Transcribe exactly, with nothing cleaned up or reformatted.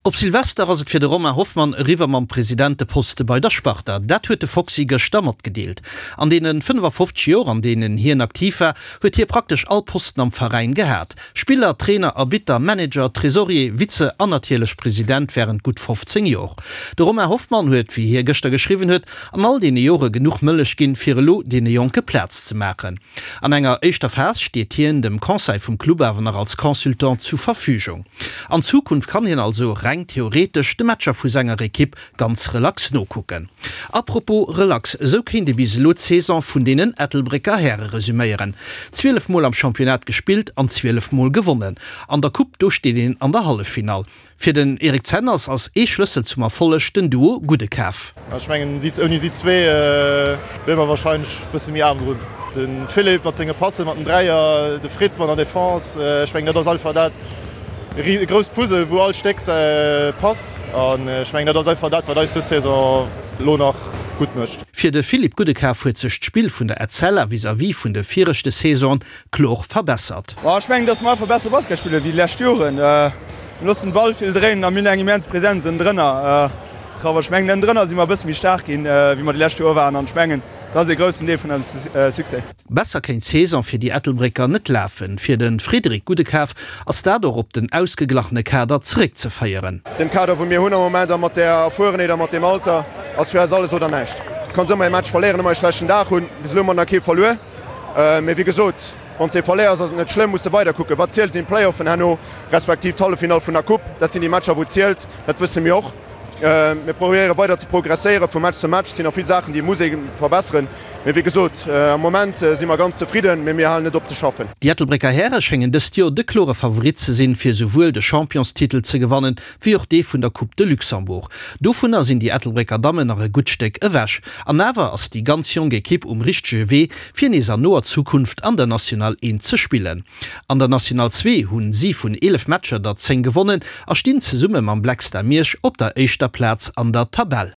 Op Silvester ass et fir de Romain Hoffmann eriwwer mam Presidenteposte bei der Sparta. Dat huet de Foxy gëschter matgedeelt. An deene fënnefafofzeg Joer, an deenen hien aktiv war, huet hie praktesch all Posten am Veräin gehat, Spiller, Trainer, Arbitter, Manager, Tresorier, Vize an natierlech President wärend gutt fofzéng Joer. De Romain Hoffmann huet, wéi hie gëschter geschriwwen huet, an all deene Jore genuch Mëllech ginn, fir elo deene Jonke Plaz ze maachen. An enger éischter Phas steet hien dem Conseil vum Club awer nach als Consultant zu Verfügung. An Zukunft kann hien also reng theoretesch de Matcher vu senger Ekipp ganz relax nokucken. Apropos relax, esou kéint ee bis elo d'Saison vun deenen Ettelbrécker Häre resüméieren. Zwielef Mol am Championnat gespillt an zwielef Mol gewonnen. An der Coupe, do steet een an der Halleffinall. Fir den Eric Zenners ass ee Schlëssel zum Erfolleg den Duo Goudekaf. Ech mengen ouni si zwee wiere mer warscheinlech e bësse méi aarm drun. De Philippe mat senge Passen, mat den Dräier, de Fritz mat der Defense, ech mengen dat ass einfach dat e grousst Puzzle wou all Stéck passt an ech mengen dat ass einfach dat wat eis dës Saison elo nach gutt mécht. Fir de Philippe Goudekaf huet sech d'Spill vun der Etzella vis-à-vis vun de viregte Saisonen kloer verbessert. Ech mengen, datt mer einfach besser Basket spille wéi déi lescht Joren. Mir loossen den Ball vill dréinen a mir hunn eng immens Präsenz ënnendrënner. Ech mengen, ënnendrënner si mer e bësse méi staark ginn, wéi mer déi lescht Joer waren an ech mengen, dat ass ee groussen Deel vun eisem Succès. Besser kéint d'Saison fir déi Ettelbrécker net lafen. Fir de Frédéric Goudekaf ass dat och op den ausgeglachene Kader zeréckzeféieren. Deem Kader wou mir hunn am Moment a mat där Erfuerenheet a mat deem Alter ass fir eis alles oder näischt. Du kanns ëmmer ee Match verléieren, ëmmer ee schlechten Dag hunn. Bis elo hu mer nach kee verluer. Mee wéi gesot, wann s de ee verléiers ass et net schlëmm, muss de weider kucken. Wat zielt sinn d'Playoffen herno, respektiv d'Halleffinall vun der Coupe. Dat sinn déi Matcher wou zielt, dat wësse mir och. Mir probéiere weider ze progresséiere vu Match zu Match. Et sinn nach vill Saachen, déi muss ee verbesseren. Mee wéi gesot, am Moment si mer ganz zefridden, mee mir halen net op ze schaffen. Déi Ettelbrécker Häre schéngen dëst Joer de klore Favorit ze sinn, fir souwuel de Championstitel ze gewannen, wéi och dee vun der Coupe de Luxembourg. Dovunner sinn déi Ettelbrécker Dammen nach e gutt Stéck ewech. An awer ass déi ganz jonk Ekipp um richtege Wee, fir nees an noer Zukunft an der National eent ze spillen. An der National zwee hunn si vun eelef Matcher der zéng gewonnen a stinn zesumme mam Black Star Miersch op der éischter Plaz an der Tabell.